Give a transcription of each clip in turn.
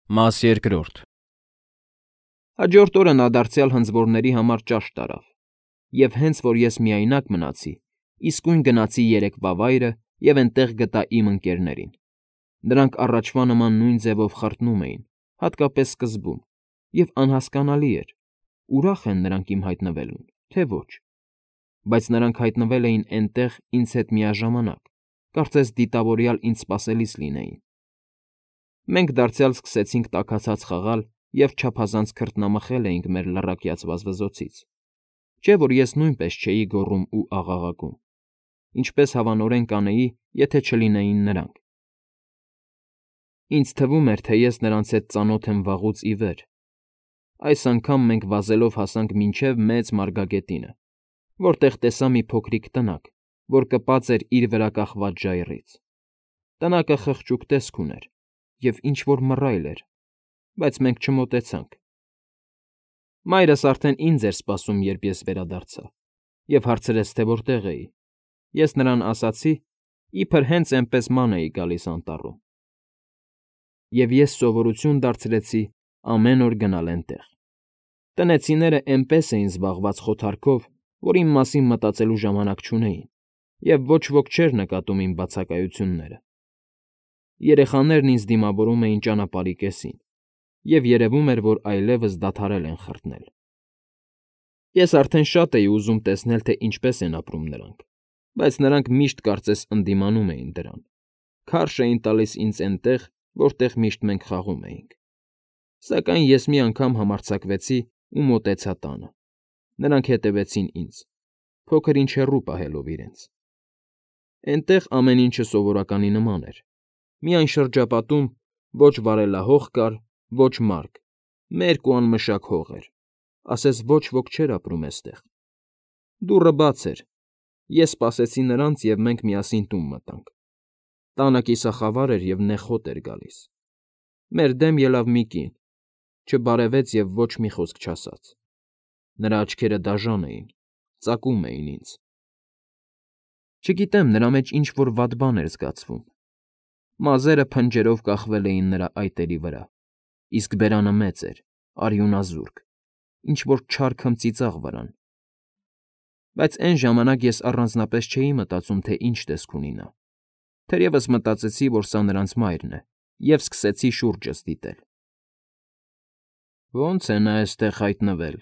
Մաս երկրորդ Հաջորդ օրը նա դարձյալ հնձորների համար ճաշ տարավ, և հենց որ ես միայնակ մնացի, իսկույն գնացի երեկվա վայրը և էնտեղ գտա իմ ընկերներին. նրանք առաջվա նման նույն ձևով խրտնում էին, հատկապես սկզբում, և անհասկանալի էր՝ ուրախ են նրանք իմ հայտնվելուն, թե ոչ, բայց նրանք հայտնվել էին էնտեղ ինձ հետ միաժամանակ, կարծես դիտավորյալ ինձ սպասելիս լինեին։ Մենք դարձյալ սկսեցինք տաքացած խաղալ և չափազանց քրտնամխել էինք մեր լռակյաց վազվզոցից, չէ՞ որ ես նույնպես չէի գոռում ու աղաղակում, ինչպես հավանորեն կանեի, եթե չլինեին նրանք։ Ինձ թվում էր, թե ես նրանց հետ ծանոթ եմ վաղուց ի վեր։ Այս անգամ մենք վազելով հասանք մինչև Մեծ Մարգագետինը, որտեղ տեսա մի փոքրիկ տնակ, որ կպած էր իր վրա կախված ժայռից։ Տնակը խղճուկ տեսք ուներ և ինչ֊որ մռայլ էր, բայց մենք չմոտեցանք։ Մայրս արդեն ինձ էր սպասում, երբ ես վերադարձա, և հարցրեց, թե որտեղ էի։ Ես նրան ասացի, իբր հենց էնպես ման էի գալիս անտառում։ Եվ ես սովորություն դարձրեցի ամեն օր գնալ էնտեղ։ Տնեցիները էնպես էին զբաղված խոթարքով, որ իմ մասին մտածելու ժամանակ չունեին, և ոչ ոք չէր նկատում իմ բացակայությունները։ Երեխաներն ինձ դիմավորում էին ճանապարհի կեսին, և երևում էր, որ այլևս դադարել են խրտնել։ Ես արդեն շատ էի ուզում տեսնել, թե ինչպես են ապրում նրանք, բայց նրանք միշտ կարծես ընդդիմանում էին դրան, քարշ էին տալիս ինձ էնտեղ, որտեղ միշտ մենք խաղում էինք։ Սակայն ես մի անգամ համարձակվեցի ու մոտեցա տանը։ Նրանք հետևեցին ինձ, փոքր֊ինչ հեռու պահելով իրենց։ Էնտեղ ամեն ինչը սովորականի նման էր։ Միայն շրջապատում ոչ վարելահող կար, ոչ մարդ, մերկ ու անմշակ հող էր, ասես ոչ ոք չէր ապրում էստեղ։ Դուռը բաց էր։ Ես սպասեցի նրանց, և մենք միասին տուն մտանք։ Տանը կիսախավար էր և նեխոտ էր գալիս։ Մեր դեմ ելավ մի կին, չբարևեց և ոչ մի խոսք չասաց։ Նրա աչքերը դաժան էին, ծակում էին ինձ։ Չգիտեմ, նրա մեջ ինչ֊որ վատ բան էր զգացվում։ Մազերը փնջերով կախվել էին նրա այտերի վրա, իսկ բերանը մեծ էր, արյունազուրկ, ինչ֊որ չար քմծիծաղ վրան։ Բայց էն ժամանակ ես առանձնապես չէի մտածում, թե ինչ տեսք ունի նա։ Թերևս մտածեցի, որ սա նրանց մայրն է, և սկսեցի շուրջս դիտել։ «Ո՞նց է նա էստեղ հայտնվել,֊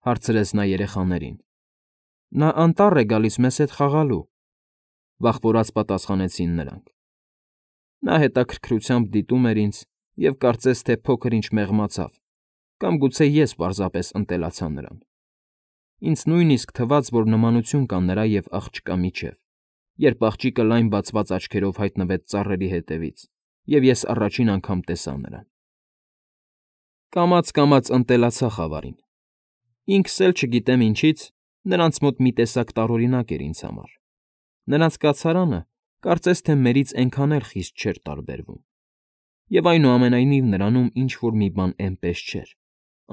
հարցրեց նա երեխաներին։ ֊ Նա անտառ է գալիս մեզ հետ խաղալու,֊ վախվորած պատասխանեցին նրանք։ Նա հետաքրքրությամբ դիտում էր ինձ և կարծես թե փոքր֊ինչ մեղմացավ, կամ գուցե ես պարզապես ընտելացա նրան։ Ինձ նույնիսկ թվաց, որ նմանություն կա նրա և աղջկա միջև, երբ աղջիկը լայն բացված աչքերով հայտնվեց ծառերի ետևից, և ես առաջին անգամ տեսա նրան։ Կամաց֊կամաց ընտելացա խավարին։ Ինքս էլ չգիտեմ ինչից, նրանց մոտ մի տեսակ տարօրինակ էր ինձ համար։ Նրանց կացարանը կարծես թե մերից էնքան էլ խիստ չէր տարբերվում։ Եվ այնուամենայնիվ նրանում ինչ֊որ մի բան էնպես չէր,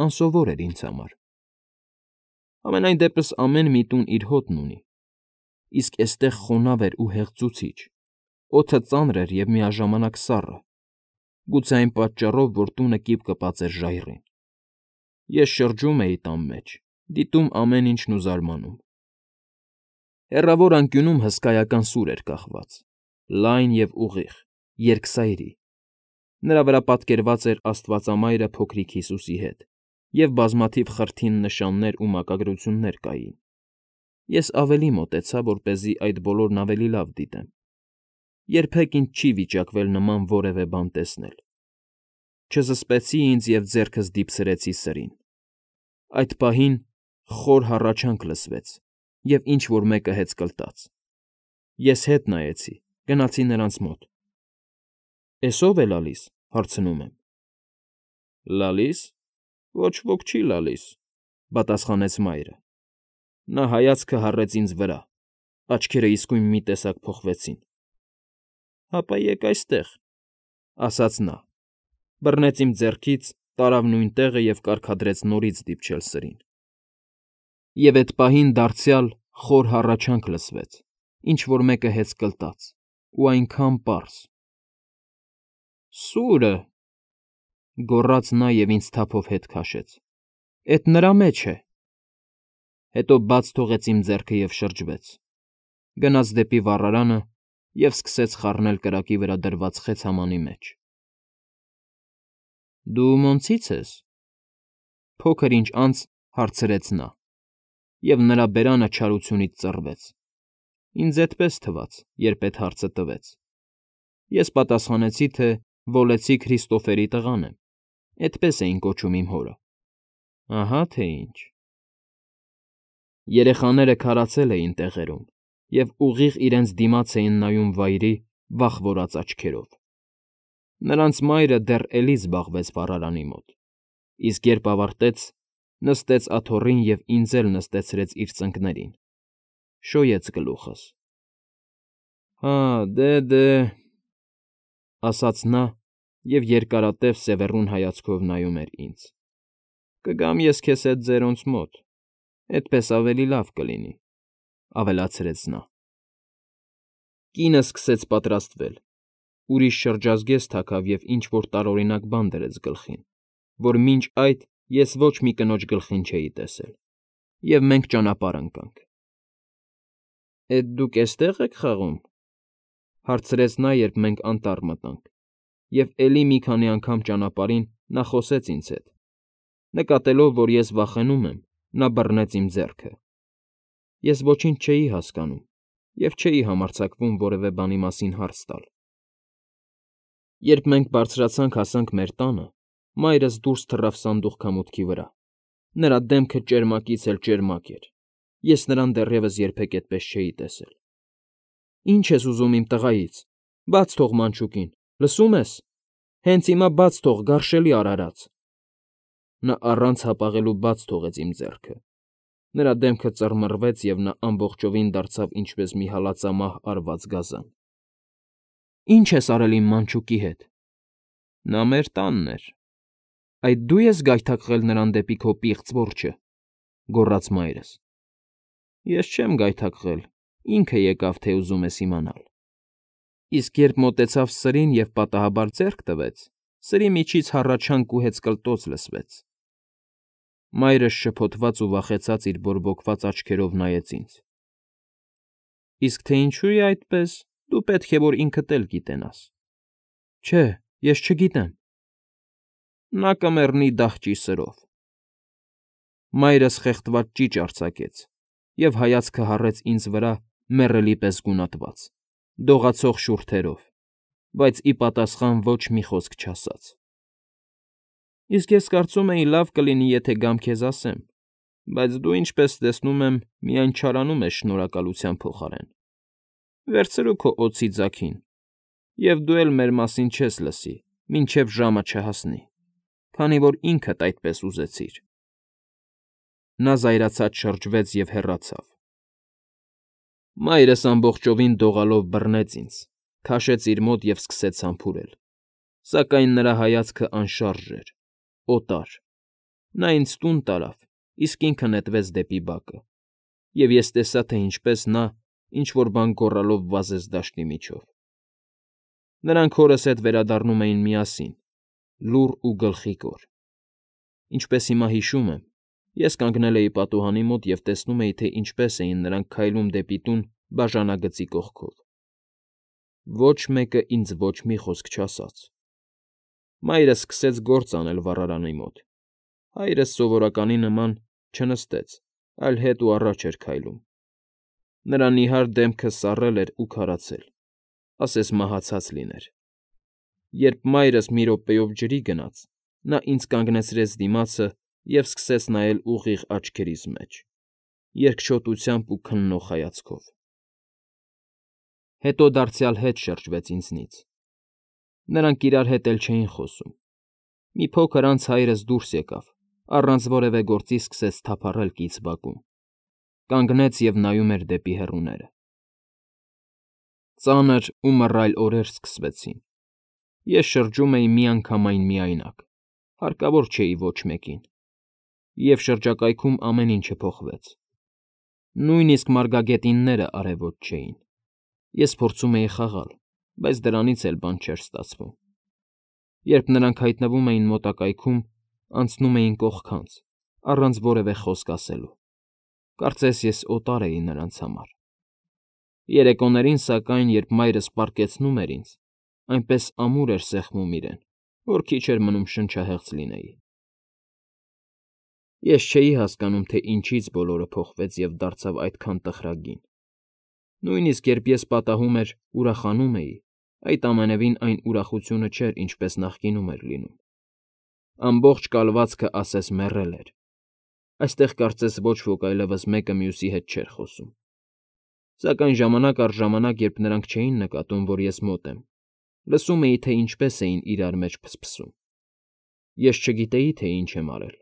անսովոր էր ինձ համար։ Համենայն դեպս ամեն մի տուն իր հոտն ունի, իսկ էստեղ խոնավ էր ու հեղձուցիչ, օդը ծանր էր և միաժամանակ սառը, գուցե այն պատճառով, որ տունը կիպ կպած էր ժայռին։ Ես շրջում էի տան մեջ, դիտում ամեն ինչն ու զարմանում։ Հեռավոր անկյունում հսկայական սուր էր կախված, լայն և ուղիղ, երկսայրի։ Նրա վրա պատկերված էր Աստվածամայրը փոքրիկ Հիսուսի հետ, և բազմաթիվ խրթին նշաններ ու մակագրություններ կային։ Ես ավելի մոտեցա, որպեսզի այդ բոլորն ավելի լավ դիտեմ։ Երբեք ինձ չի վիճակվել նման որևէ բան տեսնել։ Չզսպեցի ինձ և ձեռքս դիպցրեցի սրին։ Այդ պահին խոր հառաչանք լսվեց, և ինչ֊որ մեկը հեծկլտաց։ Ես հետ նայեցի, գնացի նրանց մոտ։ «Էս ո՞վ է լալիս,֊ հարցնում եմ։ «Լալի՞ս։ Ոչ ոք չի լալիս,֊ պատասխանեց մայրը։ Նա հայացքը հառեց ինձ վրա, աչքերը իսկույն մի տեսակ փոխվեցին։ Հապա եկ այստեղ,֊ ասաց նա, բռնեց իմ ձեռքից, տարավ նույն տեղը և կարգադրեց նորից դիպչել սրին։ Եվ էդ պահին դարձյալ խոր հառաչանք լսվեց, ինչ֊որ մեկը հեծկլտաց, ու այնքան պարզ. «Սուրը»։ Գոռաց նա և ինձ թափով հետ քաշեց։ Էդ նրա մեջ է։ Հետո բաց թողեց իմ ձեռքը և շրջվեց։ Գնաց դեպի վառարանը և սկսեց խառնել կրակի վրա դրված խեցամանի մեջ։ Դու ո՞նցից ես։ Փոքր ինչ անց հարցրեց նա, և նրա բերանը չարությունից ծռվեց։ Ինձ էդպես թվաց, երբ էդ հարցը տվեց։ Ես պատասխանեցի, թե Վոլեցի Քրիստոֆերի տղան եմ, էդպես էին կոչում իմ հորը։ Ահա թե ինչ։ Երեխաները քարացել էին տեղերում և ուղիղ իրենց դիմաց էին նայում վայրի վախվորած աչքերով։ Նրանց մայրը դեռ էլի զբաղվեց վառարանի մոտ, իսկ երբ ավարտեց, նստեց աթոռին և ինձ էլ նստեցրեց իր ծնկներին, շոյեց գլուխս։ Հա, դե, ասաց նա և երկարատև սևեռուն հայացքով նայում էր ինձ։ Կգամ ես քեզ հետ ձերոնց մոտ, էդպես ավելի լավ կլինի, ավելացրեց նա։ Կինը սկսեց պատրաստվել, ուրիշ շրջազգեստ թաքավ և ինչ֊որ տարօրինակ բան դրեց գլխին, որ մինչ այդ ես ոչ մի կնոջ գլխին չէի տեսել, և մենք ճանապարհ ընկանք։ Էդ դուք էստե՞ղ եք խաղում, հարցրեց նա, երբ մենք անտառ մտանք, և էլի մի քանի անգամ ճանապարհին նա խոսեց ինձ հետ։ Նկատելով, որ ես վախենում եմ, նա բռնեց իմ ձեռքը։ Ես ոչինչ չէի հասկանում և չէի համարձակվում որևէ բանի մասին հարց տալ։ Երբ մենք բարձրացանք հասանք մեր տանը, մայրս դուրս թռավ սանդուղքամուտքի վրա։ Նրա դեմքը ճերմակից էլ ճերմակ էր։ Ես նրան դեռևս երբեք այդպես չէի տեսել։ Ինչ ես ուզում իմ տղայից, բաց թող մանչուկին, լսո՞ւմ ես։ Հենց հիմա բաց թող, գարշելի արարած։ Նա առանց հապաղելու բաց թողեց իմ ձեռքը։ Նրա դեմքը ծռմռվեց, և նա ամբողջովին դարձավ ինչպես մի հալածամահ արված գազան։ Ի՞նչ ես արել իմ մանչուկի հետ։ Նա մեր տանն էր։ Այդ դու ես գայթակղել նրան դեպի քո պիղծ որջը, գոռաց մայրս։ Ես չեմ գայթակղել, ինքը եկավ, թե ուզում ես իմանալ։ Իսկ երբ մոտեցավ սրին և պատահաբար ձեռք տվեց, սրի միջից հառաչանք ու հեծկլտոց լսվեց։ Մայրս շփոթված ու վախեցած իր բորբոքված աչքերով նայեց ինձ։ Իսկ թե ինչու է այդպես, դու պետք է որ ինքդ էլ գիտենաս։ Չէ, ես չգիտեմ։ Նա կմեռնի դահճի սրով։ Մայրս խեղդված ճիչ արձակեց և հայացքը հառեց ինձ վրա մեռելի պես գունատված, դողացող շուրթերով, բայց ի պատասխան ոչ մի խոսք չասաց։ Իսկ ես կարծում էի լավ կլինի, եթե գամ քեզ ասեմ, բայց դու, ինչպես տեսնում եմ, միայն չարանում ես շնորհակալության փոխարեն։ Վերցրու քո օձի ձագին, և դու էլ մեր մասին չես լսի, մինչև ժամը չհասնի, քանի որ ինքդ այդպես ուզեցիր։ Նա զայրացած շրջվեց և հեռացավ։ Մայրս ամբողջովին դողալով բռնեց ինձ, քաշեց իր մոտ և սկսեց համբուրել, սակայն նրա հայացքը անշարժ էր, օտար։ Նա ինձ տուն տարավ, իսկ ինքը նետվեց դեպի բակը, և ես տեսա, թե ինչպես նա ինչ֊որ բան գոռալով վազեց դաշտի միջով։ Նրանք հորս հետ վերադառնում էին միասին, լուռ ու գլխիկոր։ Ինչպես հիմա հիշում եմ, ես կանգնել էի պատուհանի մոտ և տեսնում էի, թե ինչպես էին նրանք քայլում դեպի տուն բաժանագծի կողքով։ Ոչ մեկը ինձ ոչ մի խոսք չասաց։ Մայրս սկսեց գործ անել վառարանի մոտ։ Հայրս սովորականի նման չնստեց, այլ հետ ու առաջ էր քայլում։ Նրա նիհար դեմքը սառել էր ու քարացել, ասես մահացած լիներ։ Երբ մայրս մի րոպեով ջրի գնաց, նա ինձ կանգնեցրեց դիմացը և սկսեց նայել ուղիղ աչքերիս մեջ, երկչոտությամբ ու քննող հայացքով։ Հետո դարձյալ հետ շրջվեց ինձնից։ Նրանք իրար հետ էլ չէին խոսում։ Մի փոքր անց հայրս դուրս եկավ, առանց որևէ գործի սկսեց թափառել կից բակում, կանգնեց և նայում էր դեպի հեռուները։ Ծանր ու մռայլ օրեր սկսվեցին։ Ես շրջում էի միանգամայն միայնակ, հարկավոր չէի ոչ մեկին։ Եվ շրջակայքում ամեն ինչը փոխվեց։ Նույնիսկ մարգագետինները արևոտ չէին։ Ես փորձում էի խաղալ, բայց դրանից էլ բան չէր ստացվում։ Երբ նրանք հայտնվում էին մոտակայքում, անցնում էին կողքանց, առանց որևէ խոսք ասելու։ Կարծես ես օտար էի նրանց համար։ Երեկոներին, սակայն, երբ մայրս պառկեցնում էր ինձ, այնպես ամուր էր սեղմում իրեն, որ քիչ էր մնում շնչահեղձ լինեի։ Ես չէի հասկանում, թե ինչից բոլորը փոխվեց և դարձավ այդքան տխրագին։ Նույնիսկ երբ ես պատահում էր, ուրախանում էի, այդ ամենևին այն ուրախությունը չէր, ինչպես նախկինում էր լինում։ Ամբողջ կալվածքը ասես մեռել էր։ Այստեղ կարծես ոչ ոք այլևս մեկը մյուսի հետ չէր խոսում։ Սակայն ժամանակ առ ժամանակ, երբ նրանք չէին նկատում, որ ես մոտ եմ, լսում էի, թե ինչպես էին իրար մեջ փսփսում։ Ես չգիտեի, թե ինչ եմ արել,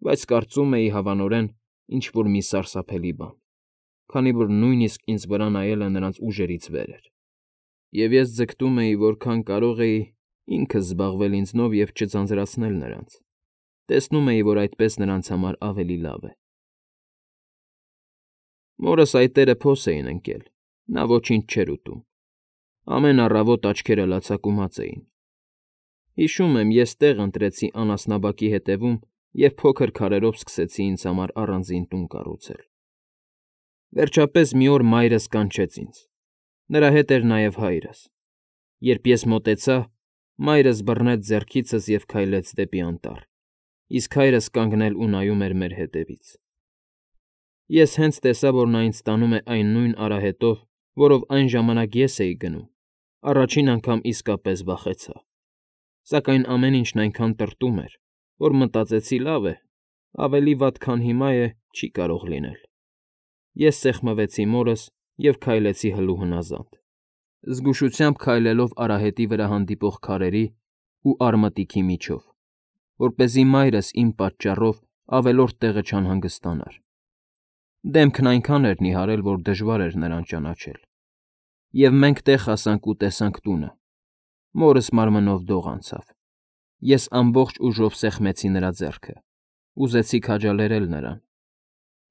բայց կարծում էի հավանորեն ինչ-որ մի սարսափելի բան, քանի որ նույնիսկ ինձ վրա նայելը նրանց ուժերից վեր էր։ Եվ ես ձգտում էի, որքան կարող էի ինքս զբաղվել ինձնով և չձանձրացնել նրանց։ Տեսնում էի, որ այդպես նրանց համար ավելի լավ է։ Մորս այտերը փոս էին ընկել, նա ոչինչ չէր ուտում։ Ամեն առավոտ աչքերը լացակումած էին։ Հիշում եմ, ես տեղ ընտրեցի անասնաբակի հետևում և փոքր քարերով սկսեցի ինձ համար առանձին տուն կառուցել։ Վերջապես մի օր մայրս կանչեց ինձ։ Նրա հետ էր նաև հայրս։ Երբ ես մոտեցա, մայրս բռնեց ձեռքիցս և քայլեց դեպի անտառ, իսկ հայրս կանգնել ու նայում էր մեր հետևից։ Ես հենց տեսա, որ նա ինձ տանում է այն նույն արահետով, որով այն ժամանակ ես էի գնում, առաջին անգամ իսկապես վախեցա։ Սակայն ամեն ինչն այնքան տրտում էր, որ մտածեցի լավ է, ավելի վատ, քան հիմա է, չի կարող լինել։ Ես սեղմվեցի մորս և քայլեցի հլուհնազանդ, զգուշությամբ քայլելով արահետի վրա հանդիպող քարերի ու արմատիքի միջով, որպեսզի մայրս իմ պատճառով ավելորդ տեղը չանհանգստանար։ Դեմքն այնքան էր նիհարել, որ դժվար էր նրան ճանաչել։ Եվ մենք տեղ հասանք ու տեսանք տունը։ Մորս մարմնով դող անցավ։ Ես ամբողջ ուժով սեղմեցի նրա ձեռքը, ուզեցի քաջալերել նրան։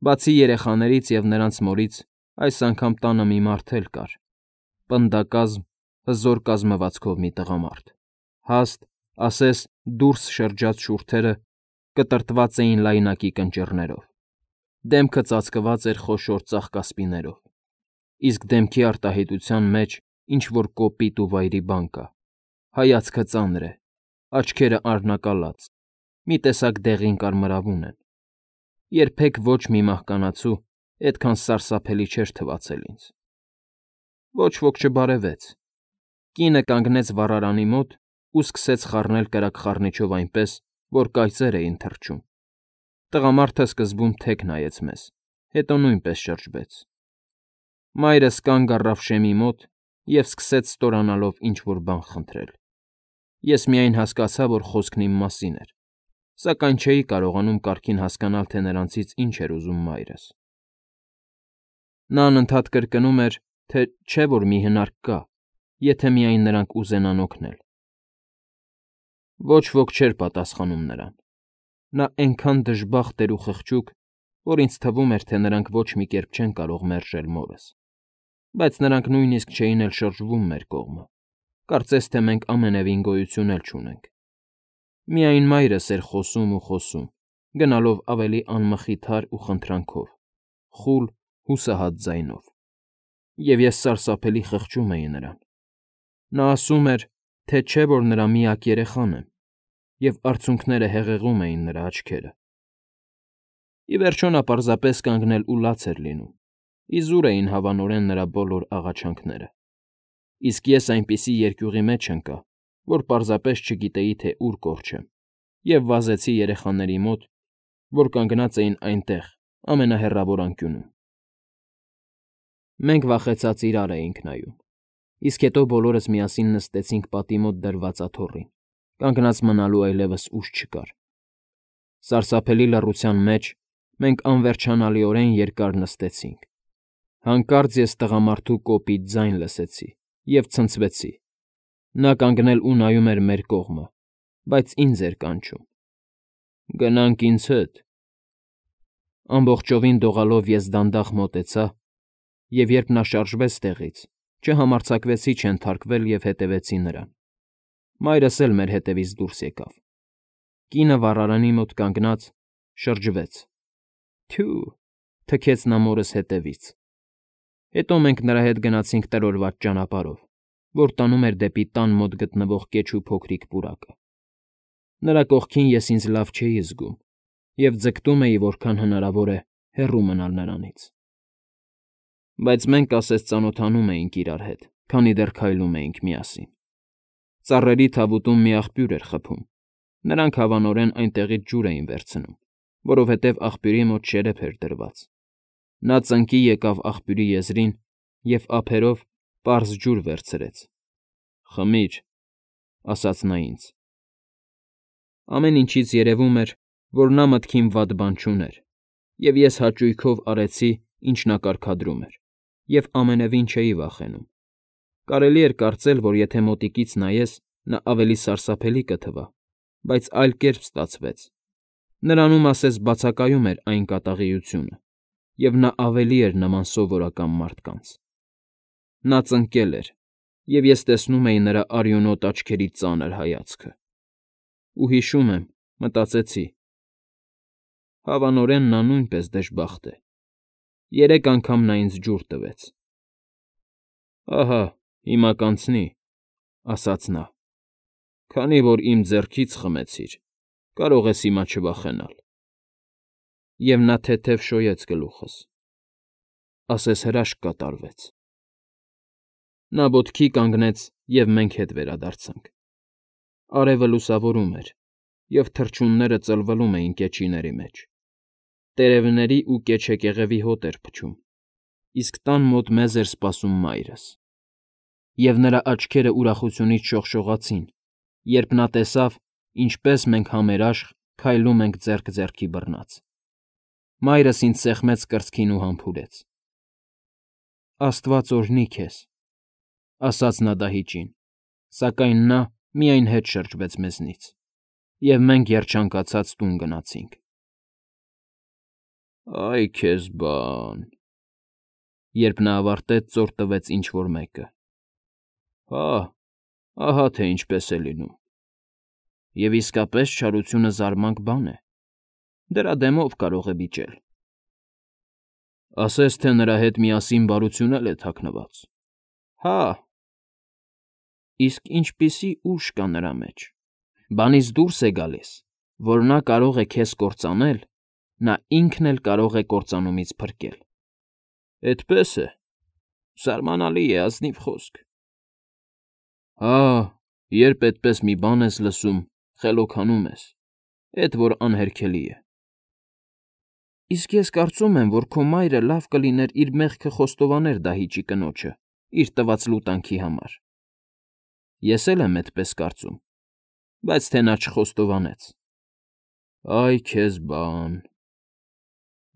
Բացի երեխաներից և նրանց մորից, այս անգամ տանը մի մարդ էլ կար, պնդակազմ, հզոր կազմվածքով մի տղամարդ, հաստ, ասես դուրս շրջած շուրթերը կտրտված էին լայնակի կնճիռներով, դեմքը ծածկված էր խոշոր ծաղկասպիներով, իսկ դեմքի արտահայտության մեջ ինչ֊որ կոպիտ ու վայրի բան կա, հայացքը ծանր է, աչքերը արնակալած, մի տեսակ դեղին կարմրավուն են։ Երբեք ոչ մի մահկանացու այդքան սարսափելի չէր թվացել ինձ։ Ոչ ոք չբարևեց։ Կինը կանգնեց վառարանի մոտ ու սկսեց խառնել կրակ խառնիչով այնպես, որ կայծեր էին թռչում։ Տղամարդը սկզբում թեք նայեց մեզ, հետո նույնպես շրջվեց։ Մայրս կանգ առավ շեմի մոտ և սկսեց ստորանալով ինչ֊որ բան խնդրել։ Ես միայն հասկացա, որ խոսքն իմ մասին էր, սակայն չէի կարողանում կարգին հասկանալ, թե նրանցից ինչ էր ուզում մայրս։ Նա անընդհատ կրկնում էր, թե չէ՞ որ մի հնարք կա, եթե միայն նրանք ուզենան օգնել։ Ոչ ոք չէր պատասխանում նրան։ Նա այնքան դժբախտ էր ու խղճուկ, որ ինձ թվում էր, թե նրանք ոչ մի կերպ չեն կարող մերժել մորս։ Բայց նրանք նույնիսկ չէին էլ շրջվում մեր կողմը, կարծես թե մենք ամենևին գոյություն էլ չունենք։ Միայն մայրս էր խոսում ու խոսում, գնալով ավելի անմխիթար ու խնդրանքով, խուլ, հուսահատ ձայնով։ Եվ ես սարսափելի խղճում էի նրան։ Նա ասում էր, թե չէ որ նրա միակ երեխան եմ, և արցունքները հեղեղում էին նրա աչքերը։ Ի վերջո նա պարզապես կանգնել ու լաց էր լինում, իզուր էին հավանորեն նրա բոլոր աղաչանքները։ Իսկ ես այնպիսի երկյուղի մեջ ընկա, որ պարզապես չգիտեի, թե ուր կորչեմ, և վազեցի երեխաների մոտ, որ կանգնած էին այնտեղ, ամենահեռավոր անկյունում։ Մենք վախեցած իրար էինք նայում, իսկ հետո բոլորս միասին նստեցինք պատի մոտ դրված աթոռին, կանգնած մնալու այլևս ուժ չկար։ Սարսափելի լռության մեջ մենք անվերջանալիորեն երկար նստեցինք։ Հանկարծ ես տղամարդու կոպիտ ձայն լսեցի և ցնցվեցի։ Նա կանգնել ու նայում էր մեր կողմը, բայց ինձ էր կանչում. «Գնանք ինձ հետ»։ Ամբողջովին դողալով ես դանդաղ մոտեցա, և երբ նա շարժվեց տեղից, չհամարձակվեցի չենթարկվել և հետևեցի նրան։ Մայրս էլ մեր հետևից դուրս եկավ։ Կինը վառարանի մոտ կանգնած շրջվեց։ Թյու, թքեց նա մորս հետևից։ Հետո մենք նրա հետ գնացինք տրորված ճանապարհով, որ տանում էր դեպի տան մոտ գտնվող կեչ ու փոքրիկ պուրակը։ Նրա կողքին ես ինձ լավ չէի զգում և ձգտում էի, որքան հնարավոր է, հեռու մնալ նրանից։ Բայց մենք ասես ծանոթանում էինք իրար հետ, քանի դեռ քայլում էինք միասին։ Ծառերի թավուտում մի աղբյուր էր խփում։ Նրանք հավանորեն այնտեղից ջուր էին վերցնում, որովհետև աղբյուրի մոտ շերեփ էր դրված։ Նա ծնկի եկավ աղբյուրի եզրին և ափերով պարզ ջուր վերցրեց։ «Խմիր», ասաց նա ինձ։ Ամեն ինչից երևում էր, որ նա մտքին վատ բան չուներ, և ես հաճույքով արեցի, ինչ նա կարգադրում էր, և ամենևին չէի վախենում։ Կարելի էր կարծել, որ եթե մոտիկից նայես, նա ավելի սարսափելի կթվա, բայց այլ կերպ ստացվեց։ Նրանում ասես բացակայում էր այն կատաղիությունը, և նա ավելի էր նման սովորական մարդկանց։ Նա ծնկել էր, և ես տեսնում էի նրա արյունոտ աչքերի ծանր հայացքը։ Ու հիշում եմ, մտածեցի. հավանորեն նա նույնպես դժբախտ է։ 3 անգամ նա ինձ ջուր տվեց։ «Ահա, հիմա կանցնի», ասաց նա։ «Քանի որ իմ ձեռքից խմեցիր, կարող ես հիմա չվախենալ»։ Եվ նա թեթև շոյեց գլուխս, ասես հրաշք կատարվեց։ Նա ոտքի կանգնեց, և մենք հետ վերադարձանք։ Արևը լուսավորում էր, և թռչունները ծլվլում էին կեչիների մեջ։ Տերևների ու կեչեկեղևի հոտ էր փչում, իսկ տան մոտ մեզ էր սպասում մայրս։ Եվ նրա աչքերը ուրախությունից շողշողացին, երբ նա տեսավ, ինչպես մենք համերաշխ քայլում ենք ձեռք ձեռքի բռնած։ Մայրս ինձ սեղմեց կրծքին ու համբուրեց։ «Աստված օրհնի քեզ», ասաց նա դահիճին, սակայն նա միայն հետ շրջվեց մեզնից, և մենք երջանկացած տուն գնացինք։ «Այ քեզ բան», երբ նա ավարտեց, ծոր տվեց ինչ֊որ մեկը։ «Հա, ահա թե ինչպես է լինում։ Եվ իսկապես չարությունը զարմանք բան է, դրա դեմով կարող է վիճել։ Ասես թե նրա հետ միասին բարություն էլ է թաքնված։ Հա՛, իսկ ինչպիսի ուժ կա նրա մեջ։ Բանից դուրս է գալիս, որ նա կարող է քեզ կործանել, նա ինքն էլ կարող է կործանումից փրկել։ Էդպե՞ս է։ Զարմանալի է, ազնիվ խոսք։ Հա, երբ էդպես մի բան ես լսում, խելոքանում ես, էդ որ անհերքելի է։ Իսկ ես կարծում եմ, որ քո մայրը լավ կլիներ իր մեղքը խոստովաներ դահիճի կնոջը իր տված լուտանքի համար։ Ես էլ եմ էդպես կարծում, բայց թե նա չխոստովանեց։ Այ քեզ բան։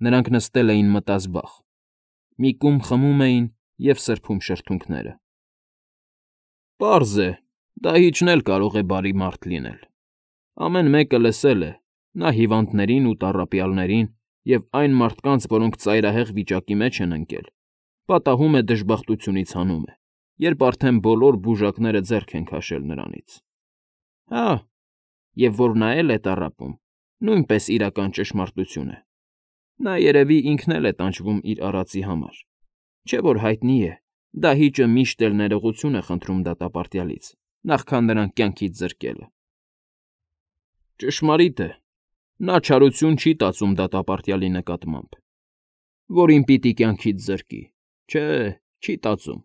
Նրանք նստել էին մտազբաղ, մի կում խմում էին և սրբում շրթունքները։ Պարզ է, դահիճն էլ կարող է բարի մարդ լինել։ Ամեն մեկը լսել է, նա հիվանդներին ու տառապյալներին և այն մարդկանց, որոնք ծայրահեղ վիճակի մեջ են ընկել, պատահում է դժբախտությունից հանում է, երբ արդեն բոլոր բուժակները ձեռք են քաշել նրանից։ Հա, և որ նա էլ է տառապում, նույնպես իրական ճշմարտություն է։ Նա երևի ինքն էլ է տանջվում իր արածի համար, չէ՞ որ հայտնի է, դահիճը միշտ էլ ներողություն է խնդրում դատապարտյալից, նախքան նրան կյանքից զրկելը։ Ճշմարիտ է, նա չարություն չի տածում դատապարտյալի նկատմամբ, որին պիտի կյանքից զրկի, չէ, չի տածում։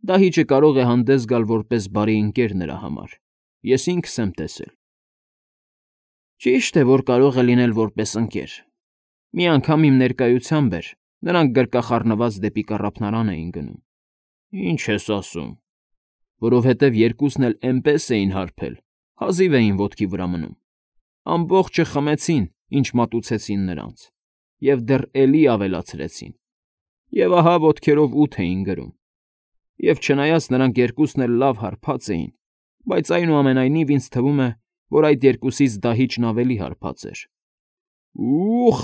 Դահիճը կարող է հանդես գալ որպես բարի ընկեր նրա համար, ես ինքս եմ տեսել։ Ճիշտ է, որ կարող է լինել որպես ընկեր։ Մի անգամ իմ ներկայությամբ էր, նրանք գրկախառնված դեպի կառափնարան էին գնում։ Ինչ ես ասում։ Որովհետև երկուսն էլ էնպես էին հարբել, հազիվ էին ոտքի վրա մնում։ Ամբողջը խմեցին, ինչ մատուցեցին նրանց, և դեռ էլի ավելացրեցին, և ահա ոտքերով ուտ էին գրում։ Եվ չնայած նրանք երկուսն էլ լավ հարբած էին, բայց այնուամենայնիվ ինձ թվում է, որ այդ երկուսից դահիճն ավելի հարբած էր։ Ուխ,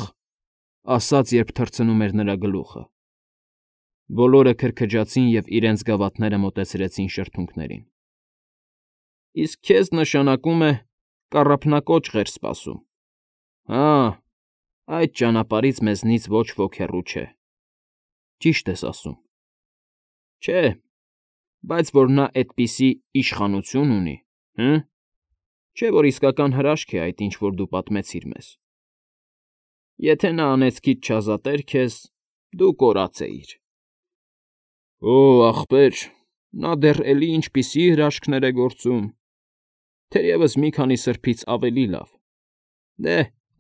ասաց, երբ թռցնում էր նրա գլուխը։ Բոլորը քրքջացին և իրենց գավաթները մոտեցրեցին շրթունքներին։ իսկ քեզ նշանակում է կառափնակոճղ էր սպասում։ Հա, այդ ճանապարհից մեզնից ոչ ոք հեռու չէ։ Ճիշտ ես ասում։ Չէ, բայց որ նա այդպիսի իշխանություն ունի, հը՞։ Չէ՞ որ իսկական հրաշք է այդ, ինչ որ դու պատմեցիր մեզ։ Եթե նա անեծքից չազատեր քեզ, դու կորած էիր։ Օ, ախպեր, նա դեռ էլի ինչպիսի հրաշքներ է գործում։ Թերևս մի քանի սրբից ավելի լավ։ Դե,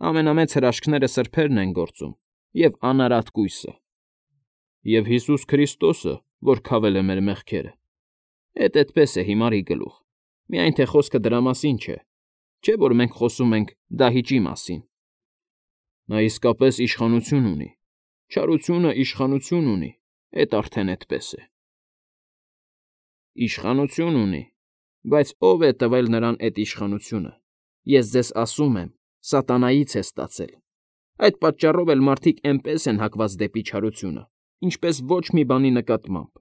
ամենամեծ հրաշքները սրբերն են գործում և անարատ կույսը։ Եվ Հիսուս Քրիստոսը, որ քավել է մեր մեղքերը։ Էդ էդպես է հիմարի գլուխ, միայն թե խոսքը դրա մասին չէ, չէ՞ որ մենք խոսում ենք դահիճի մասին։ Նա իսկապես իշխանություն ունի, չարությունը իշխանություն ունի, էդ արդեն էդպես է։ Իշխանություն ունի, բայց ո՞վ է տվել նրան էդ իշխանությունը։ Ես ձեզ ասում եմ, սատանայից է ստացել։ Այդ պատճառով էլ մարդիկ էնպես են հակված դեպի չարությունը, ինչպես ոչ մի բանի նկատմամբ,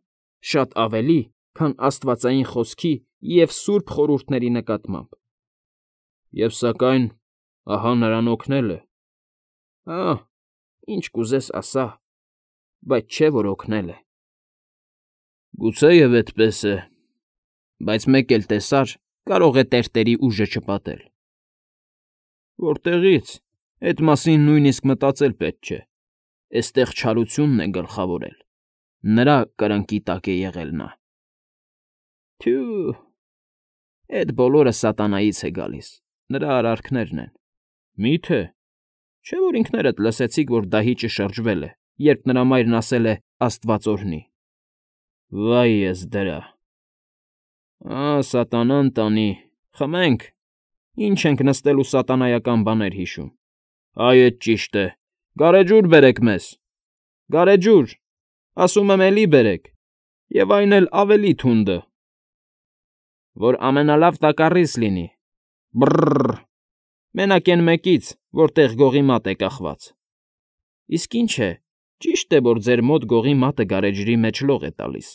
շատ ավելի, քան աստվածային խոսքի և սուրբ խորհուրդների նկատմամբ։ Եվ սակայն, ահա նրան օգնել է։ Ահ, ինչ կուզես ասա, բայց չէ որ օգնել է։ Գուցեև այդպես է, բայց մեկ էլ տեսար, կարող է տերտերի ուժը չպատել։ Որտեղի՞ց, էդ մասին նույնիսկ մտածել պետք չէ։ Էստեղ չարությունն է գլխավորել, նրա կրնկի տակ է եղել նա։ Թյու, էդ բոլորը սատանայից է գալիս, նրա արարքներն են։ Մի՞թե։ Չէ՞ որ ինքներդ լսեցիք, որ դահիճը շրջվել է, երբ նրա մայրն ասել է «Աստված օրհնի»։ Վայ ես դրա։ Սատանան տանի, խմենք, ինչ ենք նստել ու սատանայական բաներ հիշում։ Այ էդ ճիշտ է, գարեջուր բերեք մեզ։ Գարեջուր, ասում եմ էլի բերեք, և այն էլ ավելի թունդը։ Որ ամենալավ տակառից լինի։ Բռռռ, մենակ էն մեկից, որտեղ գողի մատ է կախված։ Իսկ ինչ է, ճիշտ է, որ ձեր մոտ գողի մատը գարեջրի մեջ լող է տալիս։